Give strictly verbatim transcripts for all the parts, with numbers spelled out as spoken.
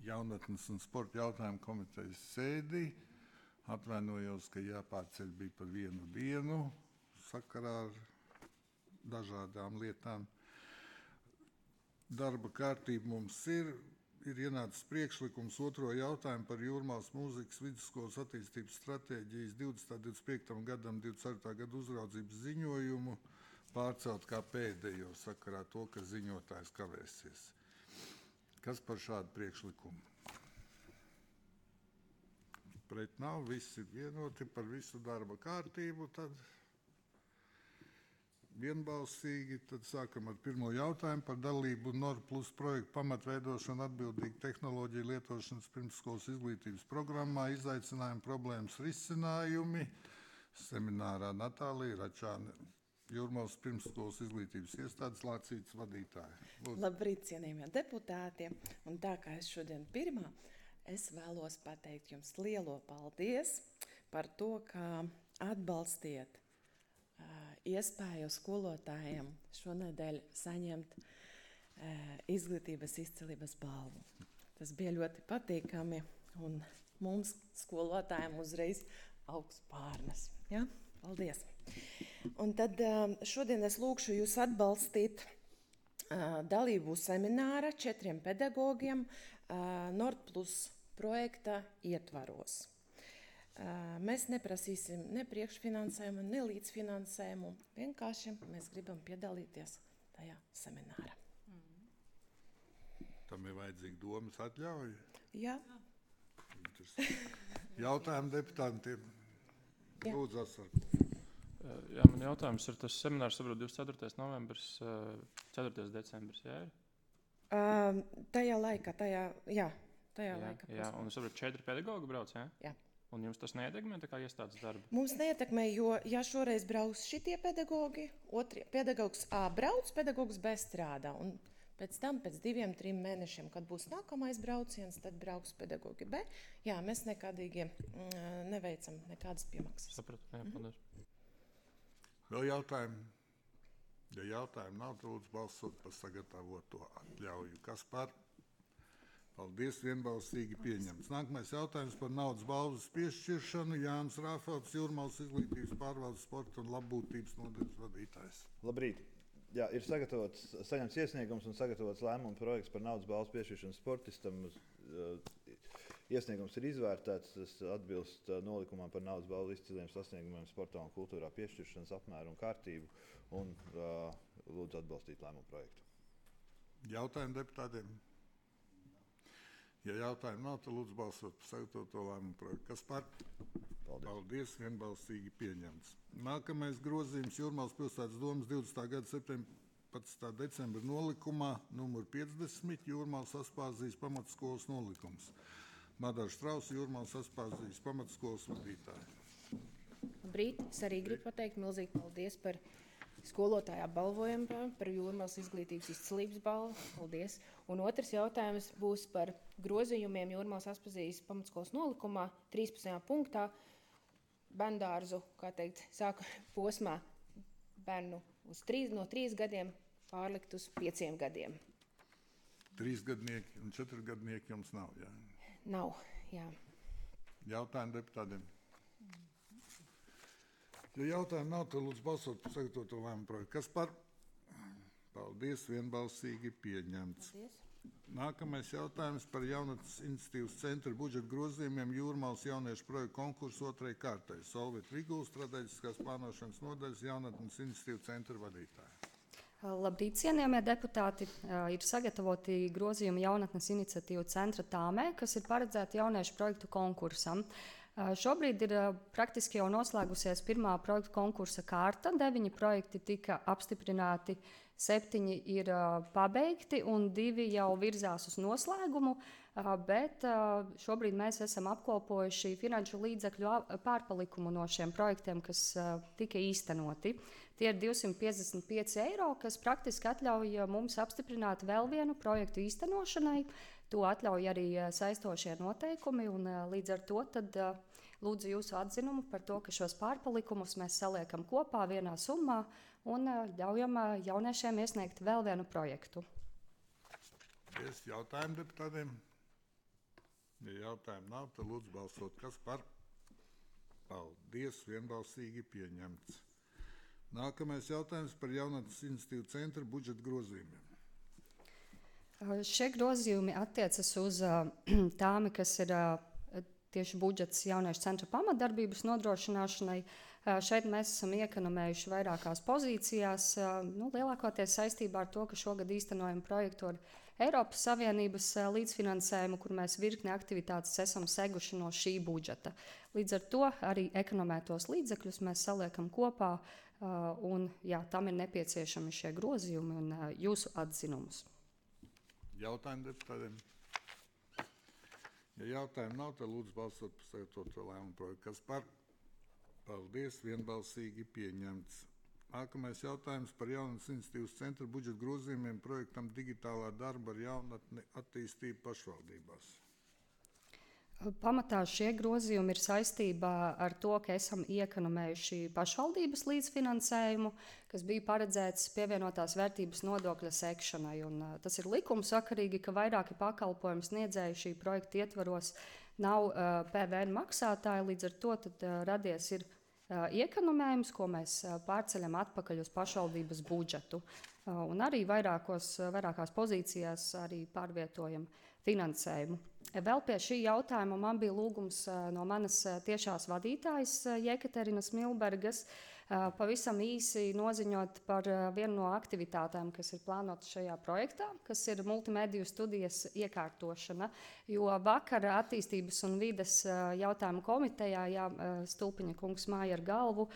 jaunatnes un sporta jautājumu komitejas sēdi. Atvainojos, ka jāpārceļ bija par vienu dienu sakarā ar dažādām lietām. Darba kārtība mums ir. Ir ienācis priekšlikums otro jautājumu par Jūrmālas mūzikas vidusskolas attīstības stratēģijas divdesmit divdesmit piektajam gadam divdesmit ceturtā gada uzraudzības ziņojumu pārcelt kā pēdējo sakarā to, ka ziņotājs kavēsies. Kas par šādu priekšlikumu? Pret nav, visi ir vienoti par visu darba kārtību, tad vienbalsīgi. Tad sākam ar pirmo jautājumu par dalību Nor Plus projektu pamatveidošanu atbildīgu tehnoloģiju lietošanas pirmsskolas izglītības programmā, izaicinājumu problēmas risinājumi. Seminārā Natālija Račāne, Jūrmālas pirmsskolas izglītības iestādes lācītes vadītāja. Lūdzu. Labrīt, cienījamie deputāti. Un tā kā es šodien pirmā, es vēlos pateikt jums lielo paldies par to, ka atbalstiet iespēju skolotājiem šonedēļ saņemt e, izglītības izcilības balvu. Tas bija ļoti patīkami un mums skolotājiem uzreiz augsts pārnes. Ja? Paldies! Un tad šodien es lūkšu jūs atbalstīt dalību semināra četriem pedagogiem Nord Plus projekta ietvaros. Mēs neprasīsim ne priekšfinansējumu, ne līdzfinansējumu. Vienkārši mēs gribam piedalīties tajā seminārā. Tam ir vajadzīga domas atļauja? Jā. Jautājumu deputātiem. Lūdzu, Asar. Jā, man jautājums ir, tas seminārs, saprot, divdesmit ceturtais novembris, ceturtais decembris, jā ir? Uh, tajā laikā, tajā, jā, tajā jā, laikā. Jā, un es saprotu, četri pedagogi brauc, jā? Jā. Un jums tas neietekmē tā kā iestādes darbu? Mums neietekmē, jo ja šoreiz brauks šitie pedagogi, otrie pedagogs A brauc, pedagogs B strādā. Un pēc tam, pēc diviem, trim mēnešiem, kad būs nākamais brauciens, tad brauks pedagogi B. Jā, mēs nekādīgi mm, neveicam nekādas piemaksas. Sapratu, jā, paldies. Mm-hmm. Vēl jautājumi? Ja jautājumi nav, tad lūdzu balsot par sagatavoto atļauju. Kas par? Paldies, vienbalsīgi pieņemts. Nākamais jautājums par naudas balvas piešķiršanu. Jānis Rāfelds, Jūrmālas izglītības pārvaldes sporta un labbūtības nodaļas vadītājs. Labrīt. Jā, ir sagatavots, saņemts iesniegums un sagatavots lēmuma projekts par naudas balvas piešķiršanu sportistam. Iesniegums ir izvērtēts, tas atbilst nolikumam par naudas balvu izciliem sasniegumiem sportā un kultūrā piešķiršanas apmēru un kārtību. Un uh, lūdzu atbalstīt lēmuma projektu. Jautājumi deputātiem? Ja jautājumu nav, tad lūdzu balsot par sagatavoto lēmumu projektu. Kas par? Paldies. Paldies, vienbalsīgi pieņemts. Nākamais grozījums Jūrmālas pilsētas domas divdesmitā gada septiņpadsmitā decembra nolikumā numur piecdesmit Jūrmālas Aspāzijas pamatskolas nolikums. Madara Štrausa, Jūrmālas Aspāzijas pamatskolas vadītāja. Labrīt, es arī gribu pateikt milzīgi paldies par skolotāju apbalvojumu par Jūrmālas izglītības izcilības balvu. Paldies. Un otrs jautājums būs par grozījumiem Jūrmālas Aspāzijas pamatskolas nolikumā trīspadsmitajā punktā bērndārzu, kā teikt, sāka posmā bērnu uz trīs, no trīs gadiem pārlikt uz pieciem gadiem. Trīs gadnieki un četri gadnieki jums nav, jā? Nav, jā. Jautājumi deputātiem? Ja jautājumu nav, tad lūdzu balsot par sagatavoto lēmumu projektu. Kas par? Paldies, vienbalsīgi pieņemts. Paldies. Nākamais jautājums par jaunatnes iniciatīvas centra budžeta grozījumiem Jūrmālas jauniešu projektu konkursu otrai kārtai. Solvit Vigula, strateģiskās plānošanas nodaļas jaunatnes iniciatīvu centra vadītāja. Labrīt, cienījamie deputāti. Ir sagatavoti grozījumi jaunatnes iniciatīvu centra tāmē, kas ir paredzēti jauniešu projektu konkursam. Šobrīd ir praktiski jau noslēgusies pirmā projektu konkursa kārta. Deviņi projekti tika apstiprināti, septiņi ir pabeigti un divi jau virzās uz noslēgumu, bet šobrīd mēs esam apkopojuši finanšu līdzekļu pārpalikumu no šiem projektiem, kas tika īstenoti. Tie ir divsimt piecdesmit pieci eiro, kas praktiski atļauj mums apstiprināt vēl vienu projektu īstenošanai. To atļauj arī saistošie noteikumi, un līdz ar to tad lūdzu jūsu atzinumu par to, ka šos pārpalikumus mēs saliekam kopā vienā summā un ļaujam jauniešiem iesniegt vēl vienu projektu. Es jautājumu deputātiem. Ja jautājumu nav, tad lūdzu balsot. Kas par? Paldies, vienbalsīgi pieņemts. Nākamais jautājums par jaunatnes iniciatīvu centra budžeta grozījumiem. Uh, Šie grozījumi attiecas uz uh, tām, kas ir uh, tieši budžets jauniešu centra pamatdarbības nodrošināšanai. Uh, Šeit mēs esam iekonomējuši vairākās pozīcijās, uh, nu, lielākoties saistībā ar to, ka šogad īstenojam projektu ar Eiropas Savienības uh, līdzfinansējumu, kur mēs virkni aktivitātes esam seguši no šī budžeta. Līdz ar to arī ekonomētos līdzekļus mēs saliekam kopā, uh, un jā, tam ir nepieciešami šie grozījumi un uh, jūsu atzinumus. Jautājumi deputātiem? Ja jautājumu nav, tad lūdzu balsot par sagatavoto lēmumu projektu. Kas par? Paldies, vienbalsīgi pieņemts. Nākamais jautājums par jaunatnes iniciatīvas centra budžeta grozījumiem projektam digitālā darba ar jaunatni attīstību pašvaldībās. Pamatā šie grozījumi ir saistībā ar to, ka esam iekonomējuši pašvaldības līdzfinansējumu, kas bija paredzēts pievienotās vērtības nodokļa sekšanai. Un, uh, tas ir likumsakarīgi, ka vairāki pakalpojumu sniedzēji šī projekta ietvaros nav uh, P V N maksātāji, līdz ar to tad, uh, radies ir uh, iekonomējums, ko mēs uh, pārceļam atpakaļ uz pašvaldības budžetu. Uh, un arī vairākos, uh, vairākās pozīcijās arī pārvietojam finansējumu. Vēl pie šī jautājuma man bija lūgums no manas tiešās vadītājas Jekaterinas Milbergas pavisam īsi noziņot par vienu no aktivitātēm, kas ir plānotas šajā projektā, kas ir multimediju studijas iekārtošana. Jo vakar attīstības un vides jautājumu komitejā, jā, Stulpiņa kungs māja ar galvu,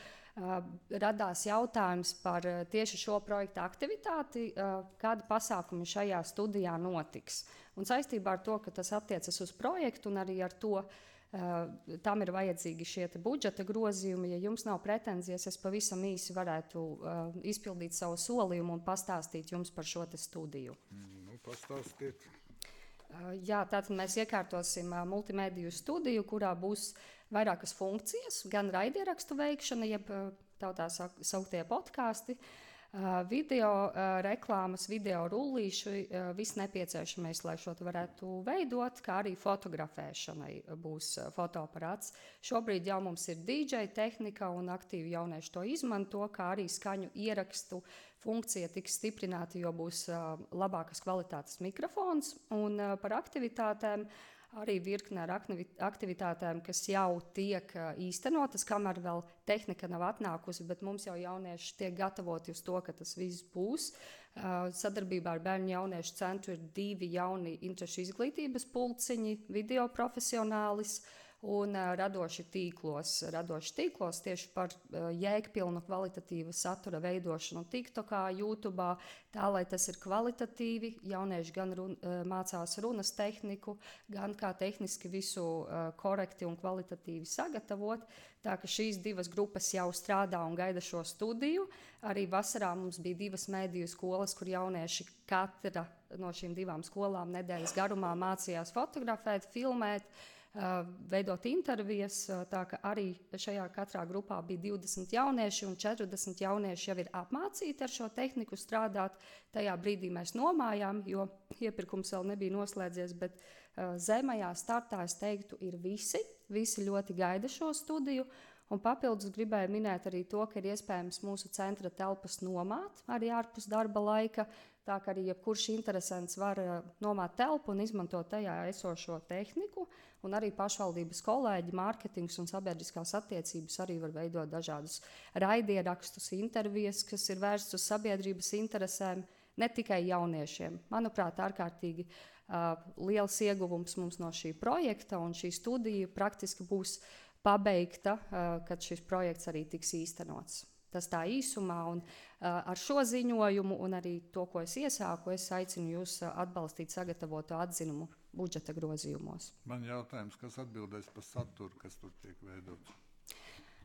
radās jautājums par tieši šo projekta aktivitāti, kādi pasākumi šajā studijā notiks. Un saistībā ar to, ka tas attiecas uz projektu un arī ar to, uh, tam ir vajadzīgi šie budžeta grozījumi. Ja jums nav pretenzijas, es pavisam īsi varētu uh, izpildīt savu solījumu un pastāstīt jums par šo studiju. Mm, nu, pastāstiet. Uh, jā, tātad mēs iekārtosim uh, multimediju studiju, kurā būs vairākas funkcijas, gan raidierakstu veikšana, jeb uh, tautā sauktie podkāsti, Uh, video uh, reklāmas, video rullīši, uh, viss nepieciešamais, lai šo varētu veidot, kā arī fotografēšanai būs uh, fotoaparāts. Šobrīd jau mums ir D J tehnika un aktīvi jaunieši to izmanto, kā arī skaņu ierakstu funkcija tiks stiprināta, jo būs uh, labākas kvalitātes mikrofons. Un uh, par aktivitātēm arī virkne ar aktivitātēm, kas jau tiek īstenotas, kamēr vēl tehnika nav atnākusi, bet mums jau jaunieši tiek gatavoti uz to, ka tas viss būs. Sadarbībā ar Bērnu jauniešu centru ir divi jauni interešu izglītības pulciņi, video profesionālis un uh, radoši tīklos. Radoši tīklos tieši par uh, jēgpilnu kvalitatīvu satura veidošanu TikTokā, YouTubā, tā, lai tas ir kvalitatīvi. Jaunieši gan run, uh, mācās runas tehniku, gan kā tehniski visu uh, korekti un kvalitatīvi sagatavot. Tā ka šīs divas grupas jau strādā un gaida šo studiju. Arī vasarā mums bija divas mediju skolas, kur jaunieši katra no šīm divām skolām nedēļas garumā mācījās fotografēt, filmēt, Uh, veidot intervijas, uh, tā ka arī šajā katrā grupā bija divdesmit jaunieši un četrdesmit jaunieši jau ir apmācīti ar šo tehniku strādāt. Tajā brīdī mēs nomājām, jo iepirkums vēl nebija noslēdzies, bet uh, zemajā startā, es teiktu, ir visi. Visi ļoti gaida šo studiju. Un papildus gribēju minēt arī to, ka ir iespējams mūsu centra telpas nomāt arī ārpus darba laika. Tā kā arī jebkurš interesants var uh, nomāt telpu un izmantot tajā esošo tehniku. Un arī pašvaldības kolēģi, mārketings un sabiedriskās attiecības arī var veidot dažādus raidierakstus, intervijas, kas ir vērstas uz sabiedrības interesēm, ne tikai jauniešiem. Manuprāt, ārkārtīgi uh, liels ieguvums mums no šī projekta, un šī studija praktiski būs pabeigta, uh, kad šis projekts arī tiks īstenots. Tas tā īsumā, un uh, ar šo ziņojumu un arī to, ko es iesāku, es aicinu jūs uh, atbalstīt sagatavoto atzinumu budžeta grozījumos. Man jautājums, kas atbildēs par saturu, kas tur tiek veidots?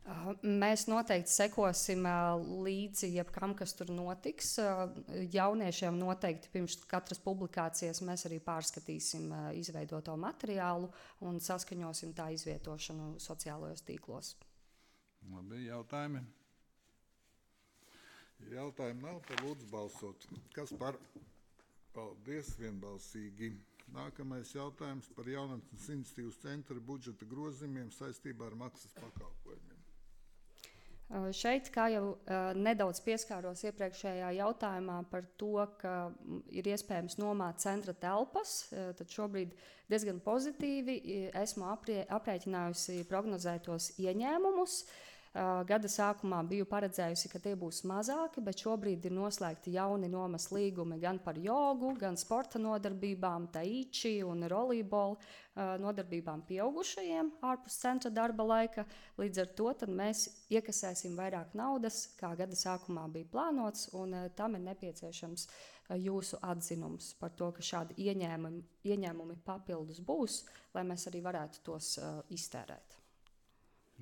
Uh, mēs noteikti sekosim uh, līdzi jebkam, kas tur notiks. Uh, jauniešiem noteikti pirms katras publikācijas mēs arī pārskatīsim uh, izveidoto materiālu un saskaņosim tā izvietošanu sociālajos tīklos. Labi, jautājumi? Jautājumi nav, tad lūdzu balsot. Kas par? Paldies, vienbalsīgi. Nākamais jautājums par jaunatnes iniciatīvas centra budžeta grozījumiem saistībā ar maksas pakalpojumiem. Uh, Šeit, kā jau uh, nedaudz pieskāros iepriekšējā jautājumā par to, ka mm, ir iespējams nomāt centra telpas, uh, tad šobrīd diezgan pozitīvi i- esmu aprie, aprēķinājusi prognozētos ieņēmumus. Uh, Gada sākumā biju paredzējusi, ka tie būs mazāki, bet šobrīd ir noslēgti jauni nomas līgumi gan par jogu, gan sporta nodarbībām, taiči un rolībolu uh, nodarbībām pieaugušajiem ārpus centra darba laika. Līdz ar to tad mēs iekasēsim vairāk naudas, kā gada sākumā bija plānots, un uh, tam ir nepieciešams uh, jūsu atzinums par to, ka šādi ieņēmumi, ieņēmumi papildus būs, lai mēs arī varētu tos uh, iztērēt.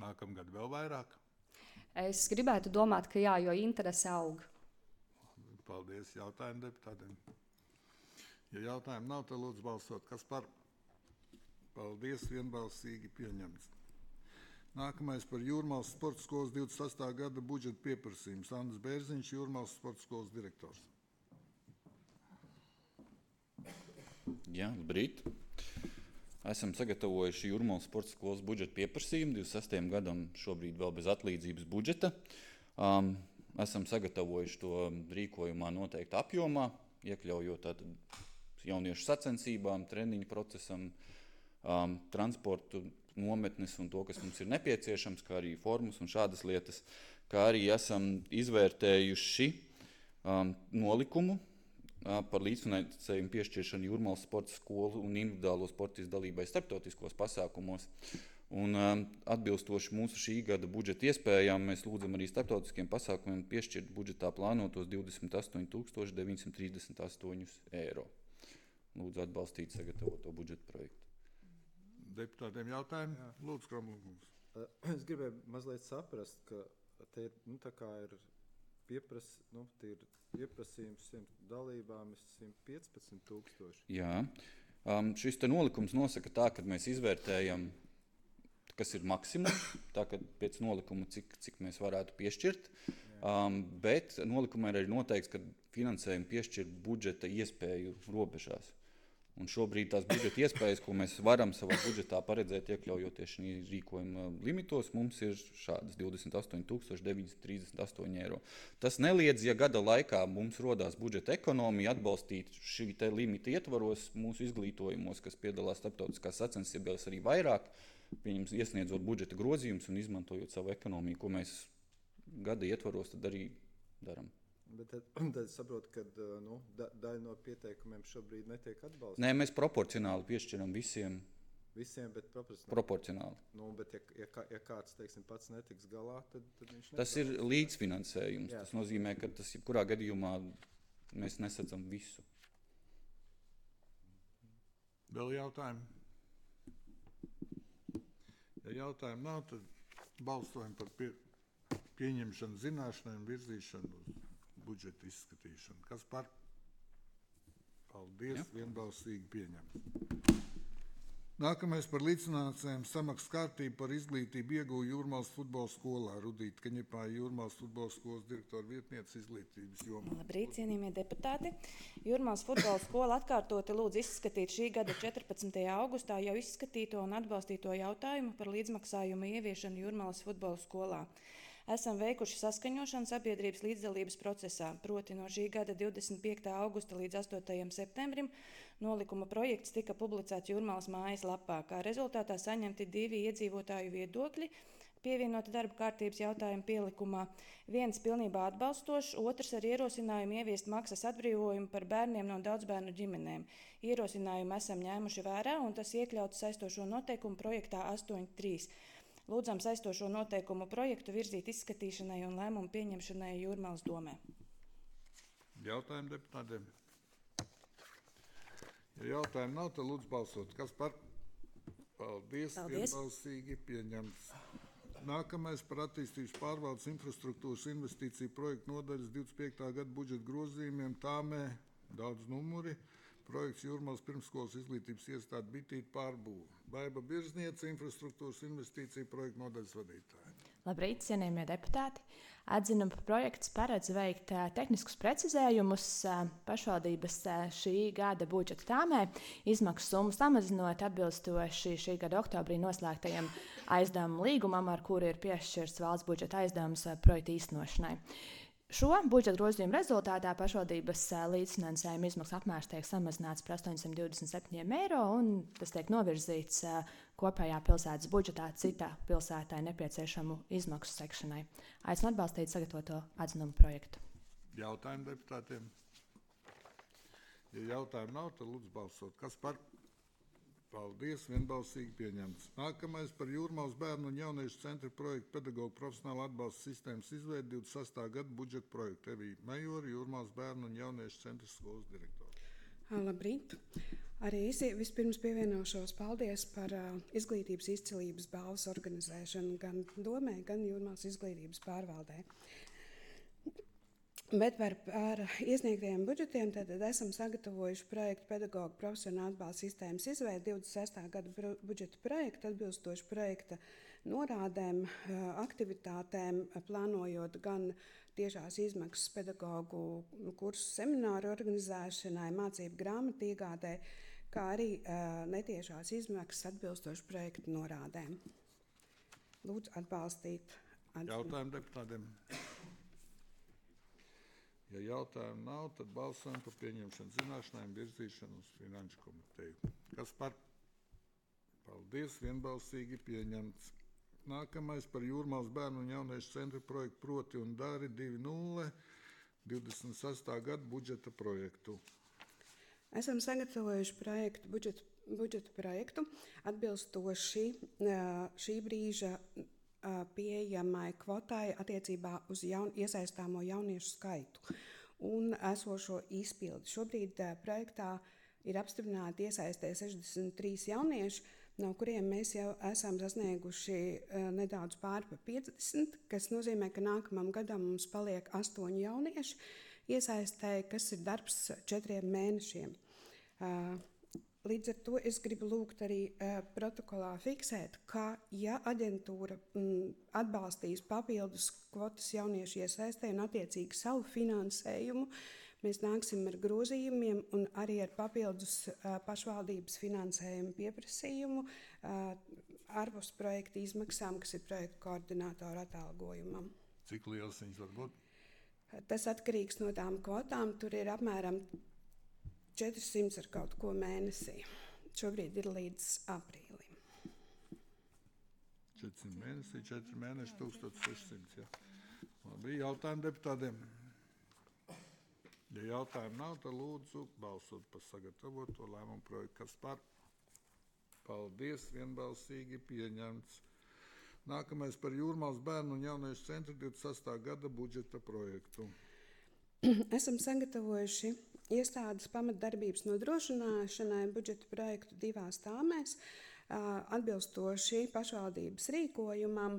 Nākamgad vēl vairāk. Es gribētu domāt, ka jā, jo interese aug. Paldies jautājumu deputātiem. Ja jautājumu nav, tad lūdzu balsot. Kas par? Paldies, vienbalsīgi pieņemts. Nākamais par Jūrmālas sporta skolas divdesmit sastā gada budžeta pieprasījums. Andris Bērziņš, Jūrmālas sporta skolas direktors. Jā, labrīt. Esam sagatavojuši Jūrmālas sporta skolas budžeta pieprasījumu divdesmit sastajam gadam, šobrīd vēl bez atlīdzības budžeta. Um, esam sagatavojuši to rīkojumā noteikti apjomā, iekļaujot tātad jauniešu sacensībām, treniņu procesam, um, transportu, nometnes un to, kas mums ir nepieciešams, kā arī formas un šādas lietas, kā arī esam izvērtējuši um, nolikumu par līdzfinansējumu piešķiršanu Jūrmālas sporta skolu un individuālo sportistu dalībai starptautiskos pasākumos. Un, um, atbilstoši mūsu šī gada budžeta iespējām, mēs lūdzam arī starptautiskiem pasākumiem piešķirt budžetā plānotos divdesmit astoņi tūkstoši deviņsimt trīsdesmit astoņi eiro. Lūdzu atbalstīt sagatavoto budžeta projektu. Deputātiem jautājumi? Lūdzu, Kramlungs. Es gribēju mazliet saprast, ka te ir, nu, tā kā ir piepras, nu, tie ir pieprasījums simt dalībām ir simt piecpadsmit tūkstoši. Jā, um, šis te nolikums nosaka tā, ka mēs izvērtējam, kas ir maksimums, tā ka pēc nolikuma, cik, cik mēs varētu piešķirt, um, bet nolikumā ir arī noteikts, ka finansējumu piešķirt budžeta iespēju robežās. Un šobrīd tās budžeta iespējas, ko mēs varam savā budžetā paredzēt, iekļaujoties šī rīkojuma limitos, mums ir šādas divdesmit astoņi tūkstoši deviņsimt trīsdesmit astoņi eiro. Tas neliedz, ja gada laikā mums rodās budžeta ekonomija, atbalstīt šī te limita ietvaros mūsu izglītojumos, kas piedalās starptautiskās sacensībās arī vairāk, pieņems iesniedzot budžeta grozījumus un izmantojot savu ekonomiju, ko mēs gada ietvaros tad arī daram. Bet tad, tad saprotu, ka nu, da, daļa no pieteikumiem šobrīd netiek atbalstīta. Nē, mēs proporcionāli piešķiram visiem. Visiem, bet proporcionāli. Proporcionāli. Nu, bet ja, ja, kā- ja kāds, teiksim, pats netiks galā, tad, tad viņš Tas ir nesaņems. līdzfinansējums. Jā. Tas nozīmē, ka tas jebkurā gadījumā mēs nesadzam visu. Vēl jautājumi? Ja jautājumu nav, tad balsojam par pie, pieņemšanu zināšanai un virzīšanu uz budžeta izskatīšanu. Kas par? Paldies, Jā. vienbalsīgi pieņemts. Nākamais par līdzfinansējumu samaksas kārtību par izglītību ieguvu Jūrmālas futbola skolā. Rudīta Kaņepāja, Jūrmālas futbola skolas direktora vietniece izglītības jomā. Labrīt, cienījamie deputāti. Jūrmālas futbola skola atkārtoti lūdz izskatīt šī gada četrpadsmitajā augustā jau izskatīto un atbalstīto jautājumu par līdzmaksājumu ieviešanu Jūrmālas futbola skolā. Esam veikuši saskaņošanu sabiedrības līdzdalības procesā, proti no šī gada divdesmit piektā augusta līdz astotajam septembrim nolikuma projekts tika publicēts Jūrmālas mājas lapā. Kā rezultātā saņemti divi iedzīvotāju viedokļi, pievienoti darba kārtības jautājumu pielikumā. Viens pilnībā atbalstošs, otrs ar ierosinājumu ieviest maksas atbrīvojumu par bērniem no daudzbērnu ģimenēm. Ierosinājumu esam ņēmuši vērā un tas iekļauts saistošo noteikumu projektā astoņi trīs. Lūdzam saistošo noteikumu projektu virzīt izskatīšanai un lēmumu pieņemšanai Jūrmālas domē. Jautājumu deputātiem? Ja jautājumu nav, tad lūdzu balsot. Kas par? Paldies, Paldies. vienbalsīgi pieņemts. Nākamais par attīstības pārvaldes infrastruktūras investīciju projektu nodaļas divdesmit piektā gada budžeta grozījumiem tāmē daudz numuri. Projekts Jūrmālas pirmsskolas izglītības iestāde Bitīte pārbūve. Baiba Birzniece, infrastruktūras investīciju projektu nodaļas vadītāja. Labrīt, cienījamie deputāti! Atzinuma projekts paredz veikt uh, tehniskus precizējumus uh, pašvaldības uh, šī gada budžeta tāmē, izmaksu summu samazinot atbilstoši šī gada oktobrī noslēgtajam aizdevumu līgumam, ar kuru ir piešķirts valsts budžeta aizdevums uh, projekta īstenošanai. Šo budžeta grozījumu rezultātā pašvaldības līdzfinansējuma izmaksu apmērs tiek samazināts par astoņsimt divdesmit septiņiem eiro, un tas tiek novirzīts kopējā pilsētas budžetā citā pilsētai nepieciešamu izmaksu sekšanai. Aicinu atbalstīt sagatavoto atzinumu projektu. Jautājumi deputātiem? Ja jautājumu nav, tad lūdzu balsot. Kas par? Paldies, vienbalsīgi pieņemts. Nākamais par Jūrmālas bērnu un jauniešu centra projektu pedagoģu profesionālu atbalsta sistēmas izveidi divdesmit sestā gada budžeta projektu. Evija Majora, Jūrmālas bērnu un jauniešu centra skolas direktora. Labrīt! Arī es vispirms pievienošos paldies par uh, izglītības izcilības balvas organizēšanu gan domē, gan Jūrmālas izglītības pārvaldē. Bet par, par iesniegtajiem budžetiem tad esam sagatavojuši projektu pedagoģu profesionālu atbalsta sistēmas izveidi divdesmit sestā gada budžeta projektu, atbilstoši projekta norādēm, aktivitātēm, plānojot gan tiešās izmaksas pedagoģu kursu semināru organizēšanai, mācību grāmatu iegādē, kā arī netiešās izmaksas atbilstoši projekta norādēm. Lūdzu atbalstīt. Jautājumu deputātiem? Ja jautājumu nav, tad balsojam par pieņemšanu zināšanai un virzīšanu uz Finanšu komiteju. Kas par? Paldies, vienbalsīgi pieņemts. Nākamais par Jūrmālas bērnu un jauniešu centra projektu Proti un Dari divi nulle divdesmit sestā gada budžeta projektu. Esam sagatavojuši projektu, budžetu, budžetu projektu atbilstoši šī brīža pieejamai kvotai attiecībā uz jaun, iesaistāmo jauniešu skaitu un esošo izpildi. Šobrīd uh, projektā ir apstiprināti iesaistē sešdesmit trīs jaunieši, no kuriem mēs jau esam sasnieguši uh, nedaudz pāri pa piecdesmit, kas nozīmē, ka nākamam gadam mums paliek astoņi jaunieši iesaistē, kas ir darbs četriem mēnešiem. Uh, Līdz ar to es gribu lūgt arī uh, protokolā fiksēt, ka ja aģentūra mm, atbalstīs papildus kvotas jauniešu iesaistē un attiecīgi savu finansējumu, mēs nāksim ar grozījumiem un arī ar papildus uh, pašvaldības finansējumu pieprasījumu uh, ārpus projekta izmaksām, kas ir projekta koordinātora atalgojumam. Cik liels viņas var būt? Tas atkarīgs no tām kvotām. Tur ir apmēram četrsimt ar kaut ko mēnesī. Šobrīd ir līdz aprīlim. četrsimt mēnesī, četri mēneši, tūkstoš sešsimt. Ja. Labi, jautājumi deputātiem. Ja jautājumu nav, tad lūdzu balsot par sagatavoto lēmumu projektu. Kas par? Paldies, vienbalsīgi pieņemts. Nākamais par Jūrmālas bērnu un jauniešu centra divdesmit sestā gada budžeta projektu. Esam sagatavojuši iestādes pamatdarbības nodrošināšanai budžeta projektu divās tāmēs, atbilstoši pašvaldības rīkojumam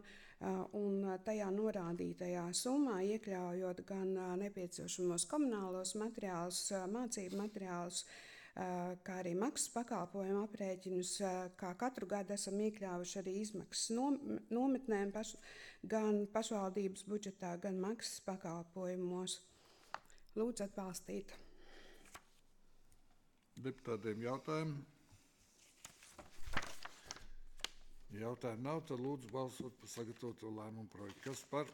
un tajā norādītajā summā, iekļaujot gan nepieciešamos komunālos materiālus, mācību materiālus, kā arī maksas pakalpojumu aprēķinus, kā katru gadu esam iekļāvuši arī izmaksas nometnēm paš, gan pašvaldības budžetā, gan maksas pakalpojumos. Lūdzu atbalstīt. Deputātiem jautājumu? Jautājumu nav, tad lūdzu balsot par sagatavoto lēmumu projektu. Kas par?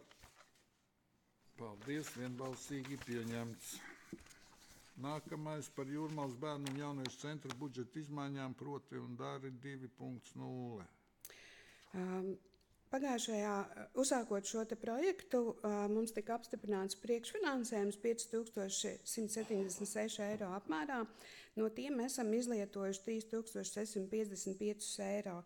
Paldies, vienbalsīgi pieņemts. Nākamais par Jūrmālas bērnu un jauniešu centra budžeta izmaiņām Proti un Dari divi nulle. Um, Pagājušajā, uzsākot šo te projektu, mums tika apstiprināts priekšfinansējums pieci tūkstoši simt septiņdesmit seši eiro apmērā. No tiem esam izlietojuši trīs tūkstoši sešsimt piecdesmit pieci eiro.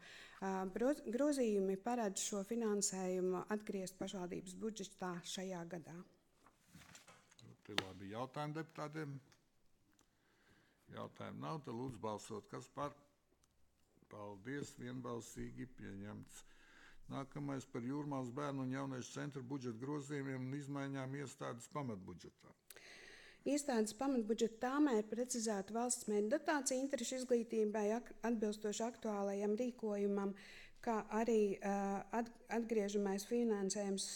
Grozījumi paredz šo finansējumu atgriezt pašvaldības budžetā šajā gadā. Te labi, jautājumu deputātiem? Jautājumu nav, tad lūdzu balsot. Kas par? Paldies, vienbalsīgi pieņemts. Nākamais par Jūrmālas bērnu un jauniešu centra budžeta grozījumiem un izmaiņām iestādes pamatbudžetā. Iestādes pamatbudžeta tāmē ir precizēta valsts mērķa dotācija interešu izglītībai atbilstoši aktuālajam rīkojumam, kā arī atgriežamais finansējums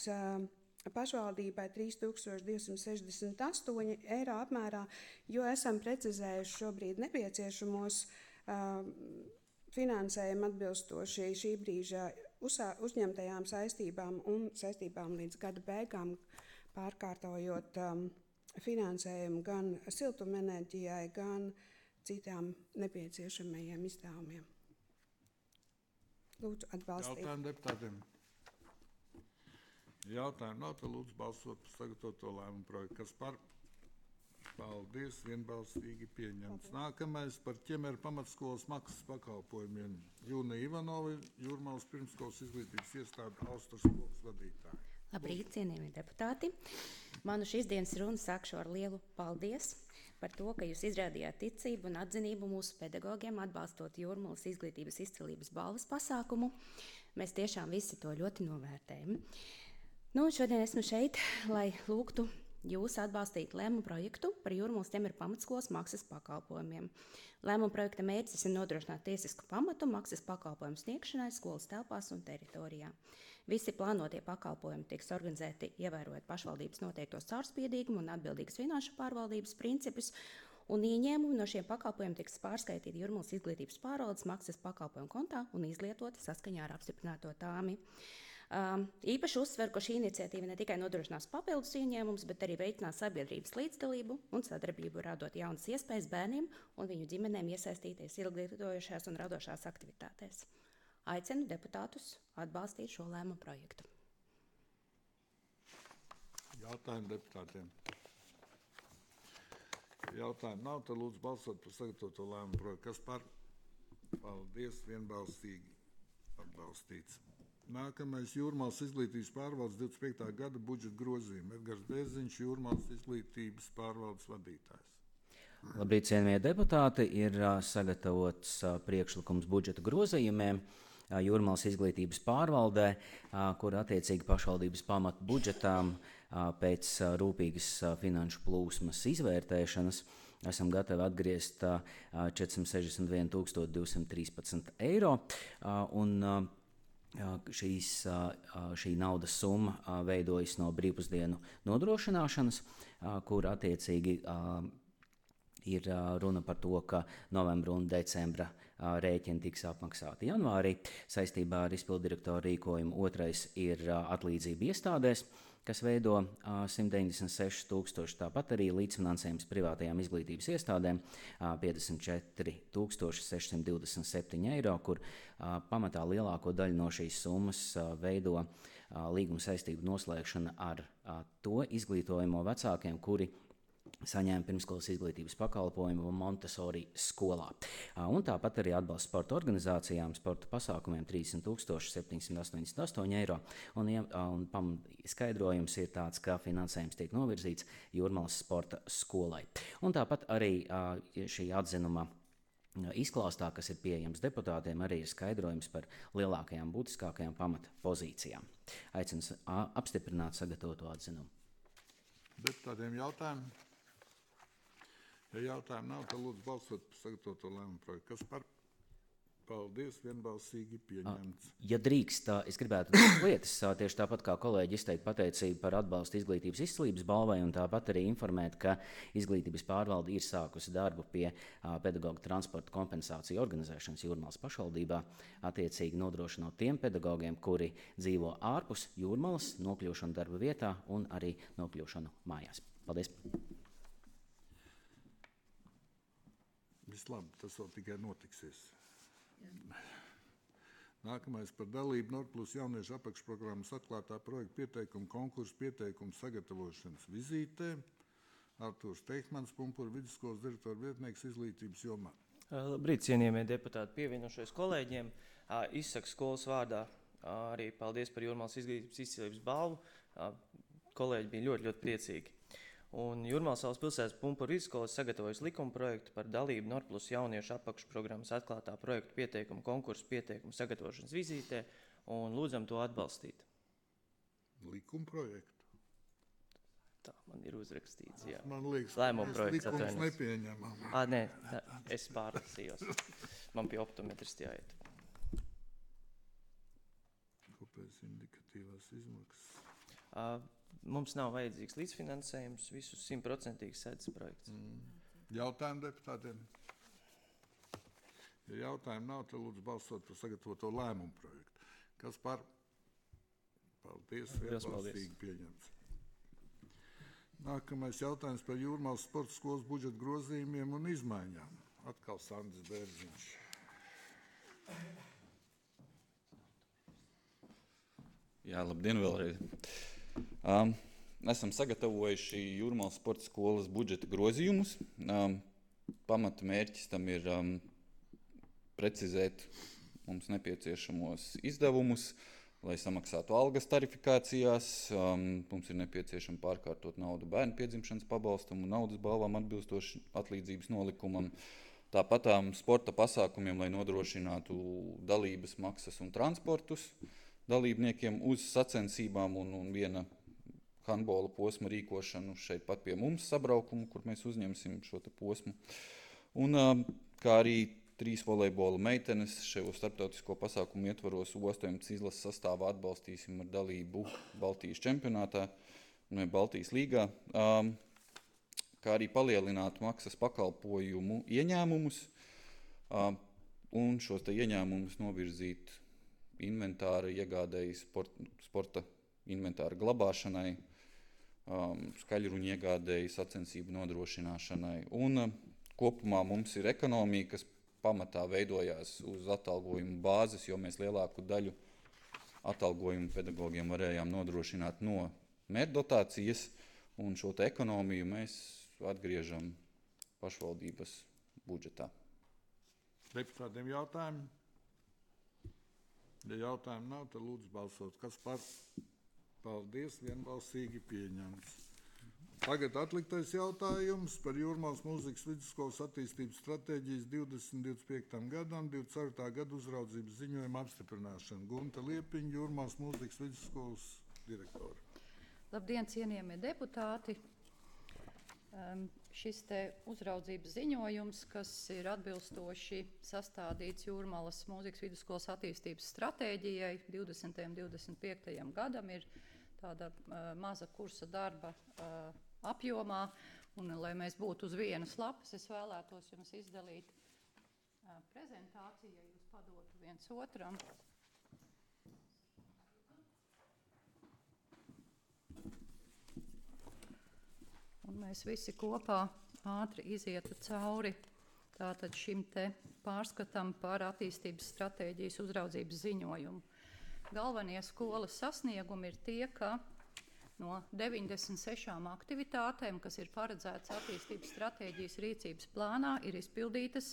pašvaldībai trīs tūkstoši divsimt sešdesmit astoņi eiro apmērā, jo esam precizējuši šobrīd nepieciešamos finansējumu atbilstoši šī brīža uzņemtajām saistībām un saistībām līdz gada beigām, pārkārtojot finansējumu gan siltumenerģijai, gan citām nepieciešamajiem izdevumiem. Lūdzu, atbalstīt. Jautājumu deputātiem. Jautājumu nav, tad lūdzu balsot par sagatavoto lēmumu projektu. Kas par? Paldies, vienbalsīgi pieņemts. Nākamais par ķemeru pamatskolas maksas pakalpojumiem. Jūna Ivanova, Jūrmalas pirmsskolas izglītības iestāde Austras skolas vadītāja. Labrīt, cienījamie deputāti. Manu šīs dienas runu sākšu ar lielu paldies par to, ka jūs izrādījāt ticību un atzinību mūsu pedagogiem, atbalstot Jūrmalas izglītības izcilības balvas pasākumu. Mēs tiešām visi to ļoti novērtējam. Nu, šodien esmu šeit, lai lūgtu jūs atbalstīt lēmumu projektu par Jūrmalas ķemeru pamatskolas maksas pakalpojumiem. Lēmuma projekta mērķis ir nodrošināt tiesisku pamatu maksas pakalpojumu sniegšanai skolas telpās un teritorijā. Visi plānotie pakalpojumi tiks organizēti ievērojot pašvaldības noteiktos caurspīdīgumu un atbildīgas finanšu pārvaldības principus, un ieņēmumi no šiem pakalpojumiem tiks pārskaitīti Jūrmalas izglītības pārvaldes maksas pakalpojumu kontā un izlietoti saskaņā ar apstiprināto tāmi. Um, īpaši uzsver, ka šī iniciatīva ne tikai nodrošinās papildus ieņēmumus, bet arī veicinās sabiedrības līdzdalību un sadarbību, radot jaunas iespējas bērniem un viņu ģimenēm iesaistīties ilglietojošās un radošās aktivitātēs. Aicinu deputātus atbalstīt šo lēmumu projektu. Jautājumu deputātiem. Jautājumu nav, tad lūdzu balsot par sagatavoto lēmumu projektu. Kas par? Paldies, vienbalsīgi atbalstīts. Nākamais Jūrmalas izglītības pārvaldes divdesmit piektā gada budžeta grozījumi. Edgars Bēziņš, Jūrmalas izglītības pārvaldes vadītājs. Labrīt, cienījamie deputāti, ir uh, sagatavots uh, priekšlikums budžeta grozījumiem uh, Jūrmalas izglītības pārvaldē, uh, kur attiecīgi pašvaldības pamatu budžetām uh, pēc uh, rūpīgas uh, finanšu plūsmas izvērtēšanas esam gatavi atgriezt uh, četrsimt sešdesmit vienu tūkstoši divsimt trīspadsmit eiro. Uh, un, uh, Šīs, šī naudas summa veidojas no brīvpusdienu nodrošināšanas, kur attiecīgi ir runa par to, ka novembra un decembra rēķini tiks apmaksāti janvārī. Saistībā ar izpildirektora rīkojumu otrais ir atlīdzība iestādēs, kas veido uh, simt deviņdesmit seši tūkstoši, tāpat arī līdzfinansējums privātajām izglītības iestādēm uh, piecdesmit četri tūkstoši sešsimt divdesmit septiņi eiro, kur uh, pamatā lielāko daļu no šīs summas uh, veido uh, līguma saistību noslēgšana ar uh, to izglītojamo vecākiem, kuri saņēma pirmskolas izglītības pakalpojumu Montessori skolā. Un tāpat arī atbalsts sporta organizācijām, sporta pasākumiem trīsdesmit tūkstoši septiņsimt astoņdesmit astoņi eiro. Un, un pam, skaidrojums ir tāds, ka finansējums tiek novirzīts Jūrmalas sporta skolai. Un tāpat arī šī atzinuma izklāstā, kas ir pieejams deputātiem, arī ir skaidrojums par lielākajām, būtiskākajām pamata pozīcijām. Aicinu apstiprināt sagatavoto atzinumu. Deputātiem jautājumu? Ja jautājumu nav, tad lūdzu balsot par sagatavoto lēmumu projektu. Kas par? Paldies, vienbalsīgi pieņemts. Ja drīkst, es gribētu divas lietas, tieši tāpat kā kolēģi izteikt pateicību par atbalstu izglītības izcilības balvai, un tāpat arī informēt, ka izglītības pārvalde ir sākusi darbu pie pedagoģa transporta kompensāciju organizēšanas Jūrmalas pašvaldībā, attiecīgi nodrošinot tiem pedagogiem, kuri dzīvo ārpus Jūrmalas, nokļūšanu darba vietā un arī nokļūšanu mājās. Paldies! Vislabāk, tas vēl tikai notiksies. Nākamais par dalību Nordplus jauniešu apakšprogrammas atklātā projekta pieteikumu konkursu pieteikumu sagatavošanas vizītē. Artūrs Teihmans, Pumpura vidusskolas direktora vietnieks izglītības jomā. Labrīt, cienījamie deputāti, pievienošos kolēģiem. Izsaku skolas vārdā arī paldies par Jūrmalas izglītības izcilības balvu. Kolēģi bija ļoti, ļoti priecīgi. Un Jūrmalas valsts pilsētas Pumpura vidusskolas sagatavojas likuma projektu par dalību Nordplus jauniešu apakšprogrammas atklātā projekta pieteikumu konkursu pieteikumu sagatavošanas vizītē un lūdzam to atbalstīt. Likuma projektu? Tā man ir uzrakstīts, jā. Man liekas, Lēmuma mēs projekts likums atvainojas. nepieņemam. Ā, nē, tā, es pārlasījos. Man pie optometristi jāiet. Otrais indikatīvās izmaksas. Uh, mums nav vajadzīgs līdzfinansējums, visus simtprocentīgi sedz projekts. Mm. Jautājumu deputātiem? Ja jautājumu nav, tad lūdzu balsot par sagatavoto lēmumu projektu. Kas par? Paldies, vienbalsīgi pieņemts. Nākamais jautājums par Jūrmālas sporta skolas budžeta grozījumiem un izmaiņām. Atkal Sandis Bērziņš. Jā, labdien vēlreiz. Um, esam sagatavojuši Jūrmālas sporta skolas budžeta grozījumus. Um, pamata mērķis tam ir um, precizēt mums nepieciešamos izdevumus, lai samaksātu algas tarifikācijās. Um, mums ir nepieciešama pārkārtot naudu bērnu piedzimšanas pabalstam un naudas balvām atbilstoši atlīdzības nolikumam. Tāpat um, sporta pasākumiem, lai nodrošinātu dalības maksas un transportus dalībniekiem uz sacensībām un, un viena handbola posma rīkošanu šeit pat pie mums sabraukumu, kur mēs uzņemsim šo te posmu. Un um, kā arī trīs volejbola meitenes šajā starptautisko pasākumu ietvaros U astoņpadsmit izlases sastāvā atbalstīsim ar dalību Baltijas čempionātā, ne Baltijas līgā, um, kā arī palielināt maksas pakalpojumu ieņēmumus um, un šos te ieņēmumus novirzīt inventāra iegādēji sport, sporta inventāra glabāšanai, um, skaļruņu iegādēji sacensību nodrošināšanai. Un um, kopumā mums ir ekonomija, kas pamatā veidojās uz atalgojumu bāzes, jo mēs lielāku daļu atalgojumu pedagogiem varējām nodrošināt no mērķdotācijas, un šo te ekonomiju mēs atgriežam pašvaldības budžetā. Deputātiem jautājumi? Ja jautājumu nav, tad lūdzu balsot. Kas par? Paldies, vienbalsīgi pieņemts. Tagad atliktais jautājums par Jūrmālas mūzikas vidusskolas attīstības stratēģijas divdesmit divdesmit piektam gadam, divdesmit ceturtā gada uzraudzības ziņojuma apstiprināšanu. Gunta Liepiņa, Jūrmālas mūzikas vidusskolas direktore. Labdien, cienījamie deputāti! Um, šis te uzraudzības ziņojums, kas ir atbilstoši sastādīts Jūrmālas mūzikas vidusskolas attīstības stratēģijai divdesmitajam divdesmit piektajam gadam, ir tāda uh, maza kursa darba uh, apjomā, un lai mēs būtu uz vienas lapas, es vēlētos jums izdalīt uh, prezentāciju, ja jūs padotu viens otram. Un mēs visi kopā ātri izietu cauri tātad šim te pārskatam par attīstības stratēģijas uzraudzības ziņojumu. Galvenie skolas sasniegumi ir tie, ka no deviņdesmit sešām aktivitātēm, kas ir paredzētas attīstības stratēģijas rīcības plānā, ir izpildītas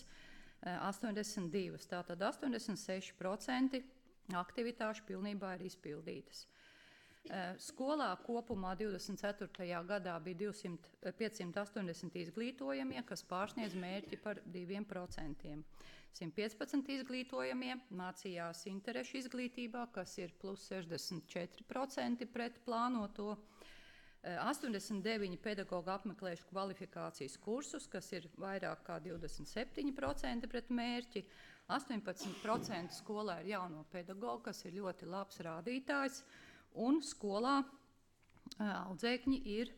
astoņdesmit divas. Tātad astoņdesmit seši procenti aktivitāšu pilnībā ir izpildītas. Skolā kopumā divdesmit ceturtajā gadā bija piecsimt astoņdesmit izglītojamie, kas pārsniedz mērķi par diviem procentiem. simt piecpadsmit izglītojamie mācījās interešu izglītībā, kas ir plus sešdesmit četri procenti pret plānoto. astoņdesmit deviņi pedagogi apmeklējuši kvalifikācijas kursus, kas ir vairāk kā divdesmit septiņi procenti pret mērķi. astoņpadsmit procenti skolā ir jauno pedagogu, kas ir ļoti labs rādītājs. Un skolā audzēkņi ir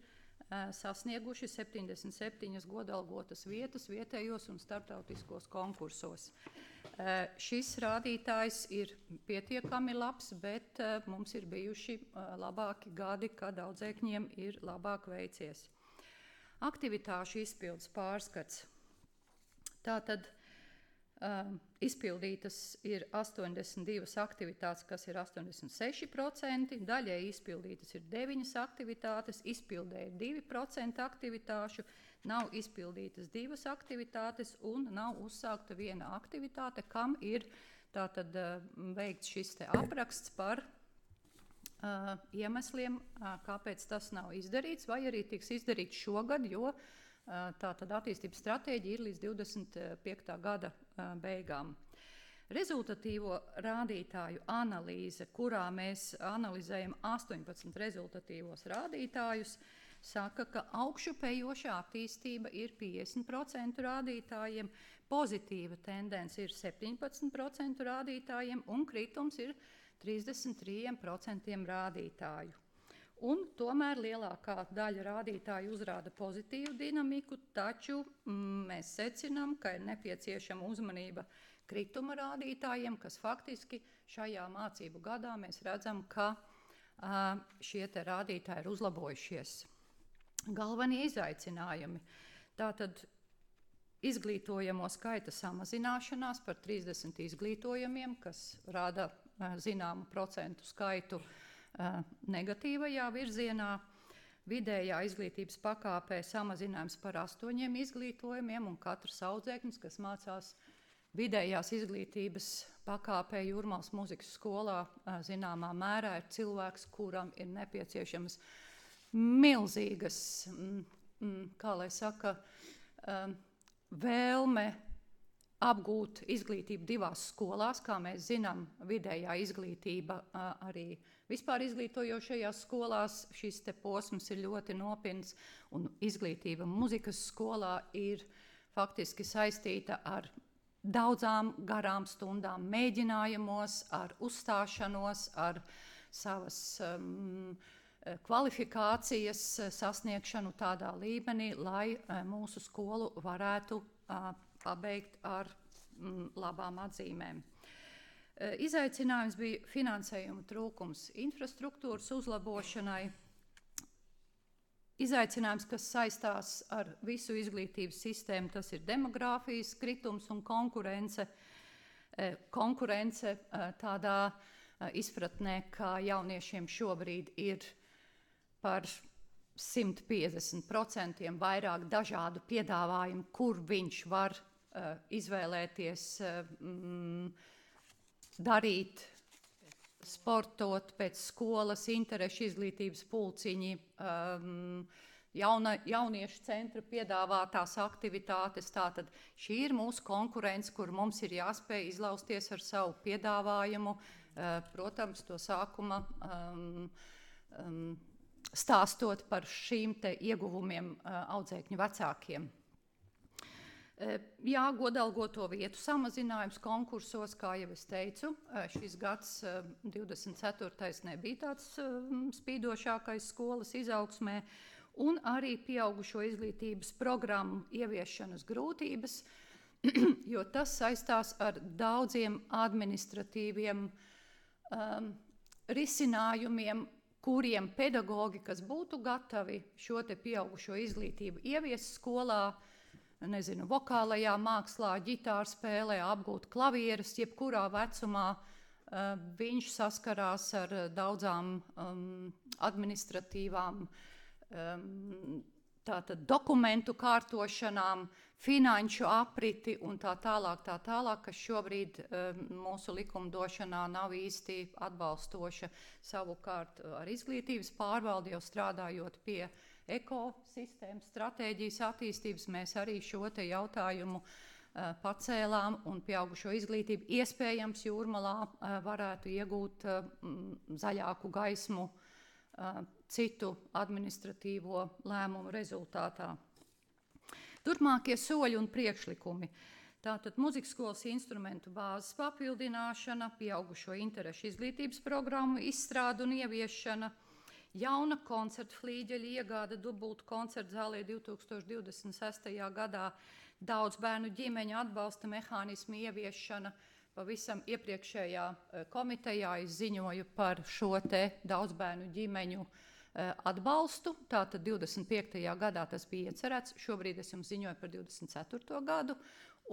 sasnieguši septiņdesmit septiņas godalgotas vietas vietējos un starptautiskos konkursos. Šis rādītājs ir pietiekami labs, bet mums ir bijuši labāki gadi, kad audzēkņiem ir labāk veicies. Aktivitāšu izpildes pārskats. Tātad Uh, izpildītas ir astoņdesmit divas aktivitātes, kas ir astoņdesmit seši procenti, daļai izpildītas ir deviņas aktivitātes, izpildē ir divi procenti aktivitāšu, nav izpildītas divas aktivitātes un nav uzsākta viena aktivitāte, kam ir tātad uh, veikts šis te apraksts par uh, iemesliem, uh, kāpēc tas nav izdarīts, vai arī tiks izdarīts šogad, jo tātad attīstības stratēģija ir līdz divdesmit piektā gada beigām. Rezultatīvo rādītāju analīze, kurā mēs analizējam astoņpadsmit rezultatīvos rādītājus, saka, ka augšupejošā attīstība ir piecdesmit procenti rādītājiem, pozitīva tendence ir septiņpadsmit procenti rādītājiem un kritums ir trīsdesmit trīs procenti rādītāju. Un tomēr lielākā daļa rādītāju uzrāda pozitīvu dinamiku, taču mm, mēs secinām, ka ir nepieciešama uzmanība krituma rādītājiem, kas faktiski šajā mācību gadā mēs redzam, ka uh, šie te rādītāji ir uzlabojušies. Galvenie izaicinājumi. Tātad izglītojamo skaita samazināšanās par trīsdesmit izglītojamiem, kas rada uh, zināmu procentu skaitu uh, negatīvajā virzienā. Vidējā izglītības pakāpē samazinājums par astoņiem izglītojumiem, un katrs audzēknis, kas mācās vidējās izglītības pakāpē Jūrmālas mūzikas skolā, zināmā mērā ir cilvēks, kuram ir nepieciešamas milzīgas, kā lai saka, vēlme apgūt izglītību divās skolās. Kā mēs zinām, vidējā izglītība arī vispār izglītojošajās skolās šis te posms ir ļoti nopietns, un izglītība mūzikas skolā ir faktiski saistīta ar daudzām garām stundām mēģinājumos, ar uzstāšanos, ar savas um, kvalifikācijas sasniegšanu tādā līmenī, lai uh, mūsu skolu varētu uh, pabeigt ar mm, labām atzīmēm. Uh, izaicinājums bija finansējuma trūkums infrastruktūras uzlabošanai. Izaicinājums, kas saistās ar visu izglītības sistēmu, tas ir demogrāfijas kritums un konkurence. Konkurence tādā izpratnē, ka jauniešiem šobrīd ir par simt piecdesmit procenti vairāk dažādu piedāvājumu, kur viņš var izvēlēties darīt, sportot pēc skolas, interešu izglītības pulciņi, um, jauna, jauniešu centra piedāvātās aktivitātes. Tātad šī ir mūsu konkurence, kur mums ir jāspēj izlausties ar savu piedāvājumu. Uh, protams, to sākuma um, um, stāstot par šīm te ieguvumiem uh, audzēkņu vecākiem. Jā, godalgoto vietu samazinājums konkursos, kā jau es teicu, šis gads divdesmit ceturtais nebija tāds spīdošākais skolas izaugsmē, un arī pieaugušo izglītības programmu ieviešanas grūtības, jo tas saistās ar daudziem administratīviem um, risinājumiem, kuriem pedagogi, kas būtu gatavi šo te pieaugušo izglītību ievies skolā, nezinu, vokālajā mākslā, ģitāru spēlē, apgūt klavierus, jebkurā vecumā, uh, viņš saskarās ar daudzām um, administratīvām um, tātad dokumentu kārtošanām, finanšu apriti un tā tālāk, tā tālāk, kas šobrīd um, mūsu likumdošanā nav īsti atbalstoša. Savukārt ar izglītības pārvaldi jau strādājot pie ekosistēmas stratēģijas attīstības, mēs arī šo te jautājumu uh, pacēlām, un pieaugušo izglītību iespējams Jūrmalā uh, varētu iegūt uh, zaļāku gaismu uh, citu administratīvo lēmumu rezultātā. Turpmākie soļi un priekšlikumi. Tātad mūzikas skolas instrumentu bāzes papildināšana, pieaugušo interešu izglītības programmu izstrāde un ieviešana, jauna koncertu flīģeļa iegāde dubultu koncertu zālē divi tūkstoši divdesmit sestajā gadā, daudz bērnu ģimeņu atbalsta mehānismu ieviešana. Pavisam iepriekšējā komitejā es ziņoju par šo te daudz bērnu ģimeņu atbalstu. Tātad divdesmit piektajā gadā tas bija iecerēts, šobrīd es jums ziņoju par divdesmit ceturto gadu,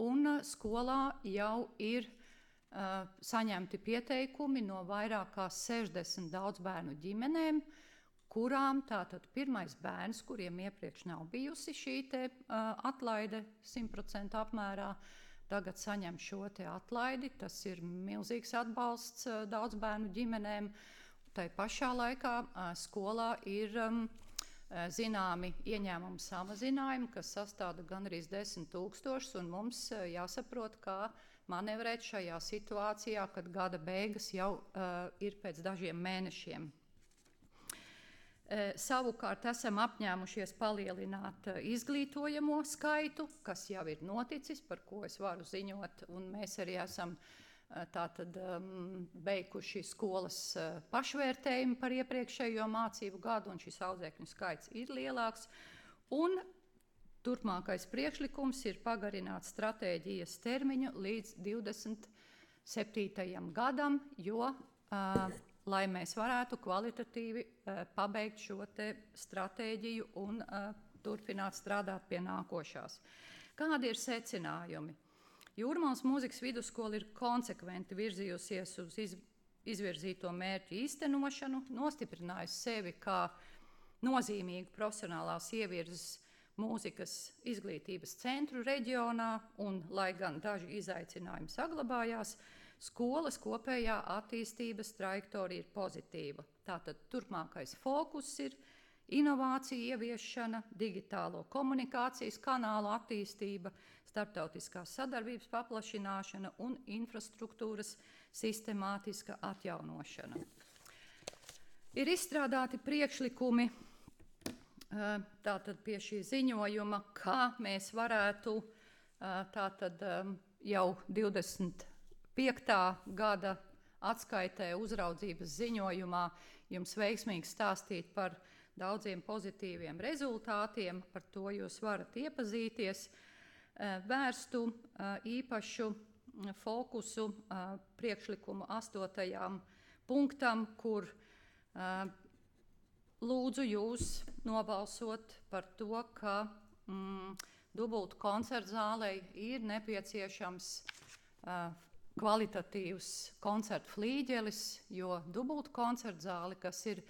un skolā jau ir uh, saņemti pieteikumi no vairāk kā sešdesmit daudz bērnu ģimenēm, kurām tātad pirmais bērns, kuriem iepriekš nav bijusi šī te uh, atlaide simt procentu apmērā, tagad saņem šo te atlaidi. Tas ir milzīgs atbalsts uh, daudz bērnu ģimenēm. Tai pašā laikā uh, skolā ir um, zināmi ieņēmumu samazinājumi, kas sastāda gandrīz desmit tūkstošus, un mums uh, jāsaprot, kā manevrēt šajā situācijā, kad gada beigas jau uh, ir pēc dažiem mēnešiem. Savukārt esam apņēmušies palielināt izglītojamo skaitu, kas jau ir noticis, par ko es varu ziņot, un mēs arī esam tātad um, beiguši skolas uh, pašvērtējumu par iepriekšējo mācību gadu, un šis audzēkņu skaits ir lielāks. Un turpmākais priekšlikums ir pagarināt stratēģijas termiņu līdz divdesmit septītajam gadam, jo, uh, lai mēs varētu kvalitatīvi uh, pabeigt šo te stratēģiju un uh, turpināt strādāt pie nākošās. Kādi ir secinājumi? Jūrmālas mūzikas vidusskola ir konsekventi virzījusies uz iz, izvirzīto mērķu īstenošanu, nostiprinājusi sevi kā nozīmīgu profesionālās ievirzes mūzikas izglītības centru reģionā, un, lai gan daži izaicinājumi saglabājās, skolas kopējā attīstības trajektorija ir pozitīva. Tātad turpmākais fokus ir inovācija ieviešana, digitālo komunikācijas kanālu attīstība, starptautiskās sadarbības paplašināšana un infrastruktūras sistemātiska atjaunošana. Ir izstrādāti priekšlikumi tātad pie šī ziņojuma, kā mēs varētu tātad jau divdesmit piektā gada atskaitē uzraudzības ziņojumā jums veiksmīgi stāstīt par daudziem pozitīviem rezultātiem, par to jūs varat iepazīties, vērstu īpašu fokusu priekšlikumu astotajām punktam, kur lūdzu jūs nobalsot par to, ka mm, dubultu koncertu zālei ir nepieciešams kvalitatīvs koncertu flīģelis, jo dubultu koncertu zāli, kas ir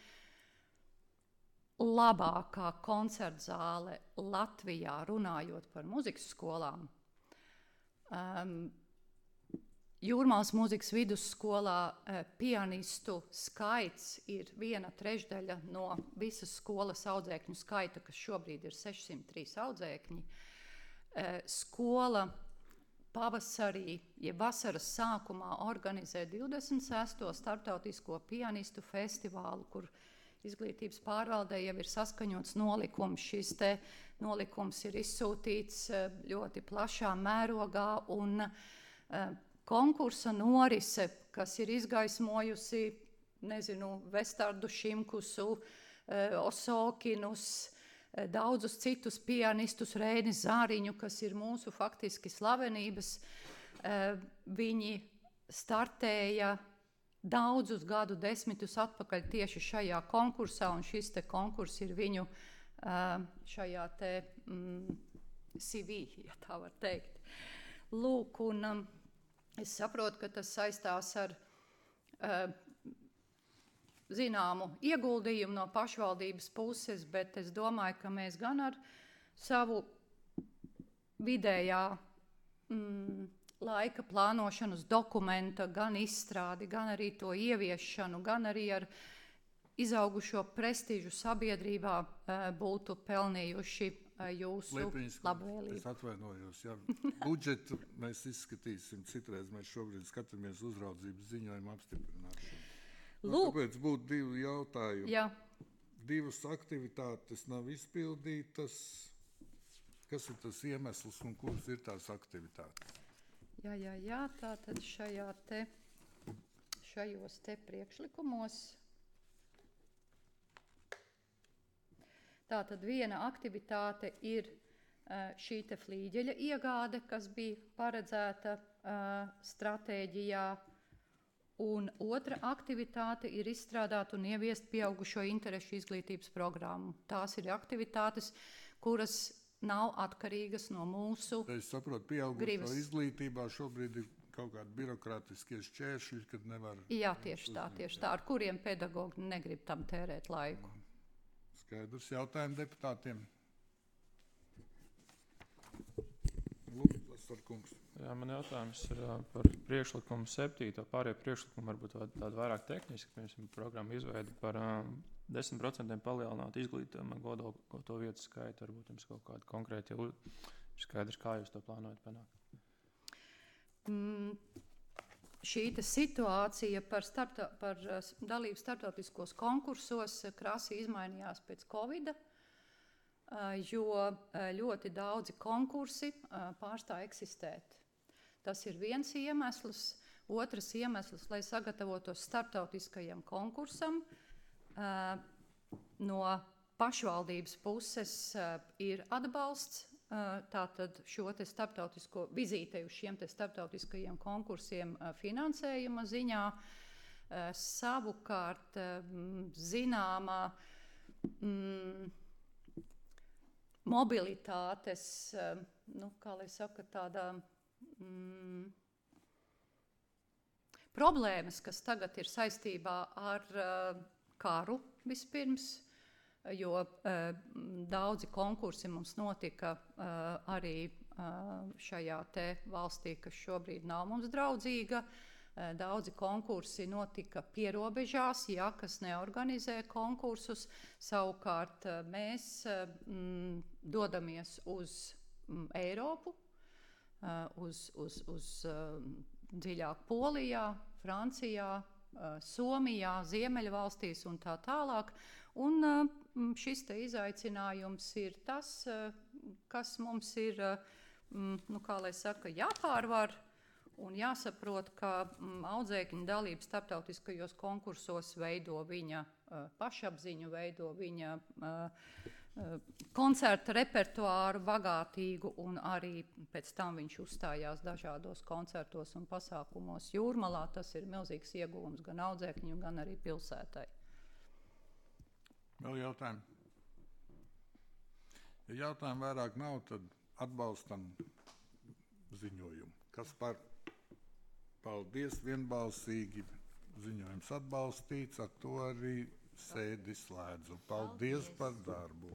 labākā koncertu zāle Latvijā, runājot par muzikas skolām. Um, Jūrmālas mūzikas vidusskolā uh, pianistu skaits ir viena trešdaļa no visas skolas audzēkņu skaita, kas šobrīd ir sešsimt trīs audzēkņi. Uh, skola pavasarī, ja vasaras sākumā organizē divdesmit sesto starptautisko pianistu festivālu, kur izglītības pārvaldē jau ir saskaņots nolikums. Šis te nolikums ir izsūtīts ļoti plašā mērogā, un uh, konkursa norise, kas ir izgaismojusi, nezinu, Vestardu Šimkusu, uh, Osokinus, uh, daudzus citus pianistus, Rēni Zāriņu, kas ir mūsu faktiski slavenības, uh, viņi startēja daudzus gadu desmitus atpakaļ tieši šajā konkursā, un šis te konkurss ir viņu uh, šajā te mm, C V, ja tā var teikt. Lūk, un um, es saprotu, ka tas saistās ar uh, zināmu ieguldījumu no pašvaldības puses, bet es domāju, ka mēs gan ar savu vidējā mm, laika plānošanas dokumenta, gan izstrādi, gan arī to ieviešanu, gan arī ar izaugušo prestižu sabiedrībā būtu pelnījuši jūsu labvēlību. Es atvainojos, jā. Budžetu mēs izskatīsim citreiz, mēs šobrīd skatāmies uzraudzības ziņojumu apstiprināšanu. Nu, tāpēc būtu divi jautājumi. Jā. Divas aktivitātes nav izpildītas. Kas ir tas iemesls un kuras ir tās aktivitātes? Jā, jā, jā, tātad šajā te, šajos te priekšlikumos. Tātad viena aktivitāte ir uh, šī te flīģeļa iegāde, kas bija paredzēta uh, stratēģijā, un otra aktivitāte ir izstrādāt un ieviest pieaugušo interešu izglītības programmu. Tās ir aktivitātes, kuras nav atkarīgas no mūsu gribas. Es saprotu, pieaugušo izglītībā šobrīd ir kaut kādi birokrātiskie šķēršļi, kad nevar... Jā, tieši tā, tieši tā, ar kuriem pedagogi negrib tam tērēt laiku. Skaidrs, jautājumi deputātiem. Lūdzu, Lasarkungs. Jā, man jautājums ir par priekšlikumu septīto. Pārējie priekšlikumi varbūt tādi vairāk tehniski, piemēram, programmu izveidi par um, desmit procentiem palielināt izglītības godo vietu skaitu. Varbūt jums kaut kādi konkrēti jau ir skaidrs, kā jūs to plānojat panākt. Mm, šī te situācija par, starpta, par uh, dalību starptautiskos konkursos uh, krasi izmainījās pēc Covida, uh, jo uh, ļoti daudzi konkursi uh, pārstāja eksistēt. Tas ir viens iemesls. Otrs iemesls, lai sagatavotos starptautiskajam konkursam, uh, no pašvaldības puses uh, ir atbalsts. Uh, tātad šo te starptautisko vizītei uz šiem te starptautiskajiem konkursiem uh, finansējuma ziņā. Uh, savukārt uh, zināmā mm, mobilitātes, uh, nu, kā lai saka, tādā mm, problēmas, kas tagad ir saistībā ar uh, karu vispirms, jo uh, daudzi konkursi mums notika uh, arī uh, šajā te valstī, kas šobrīd nav mums draudzīga. Uh, daudzi konkursi notika pierobežās, ja, kas neorganizē konkursus. Savukārt uh, mēs uh, mm, dodamies uz mm, Eiropu, uh, uz, uz, uz uh, dziļāk Polijā, Francijā, Somijā, Ziemeļvalstīs un tā tālāk. Un šis te izaicinājums ir tas, kas mums ir, nu, kā lai saka, jāpārvar un jāsaprot, ka audzēkņu dalība starptautiskajos konkursos veido viņa pašapziņu, veido viņa koncerta repertuāru bagātīgu, un arī pēc tam viņš uzstājās dažādos koncertos un pasākumos Jūrmalā. Tas ir milzīgs ieguvums gan audzēkņiem, gan arī pilsētai. Vēl jautājumi? Ja jautājumu vairāk nav, tad atbalstam ziņojumu. Kas par? Paldies, vienbalsīgi ziņojums atbalstīts, ar to arī sēdi slēdzu. Paldies, Paldies par darbu!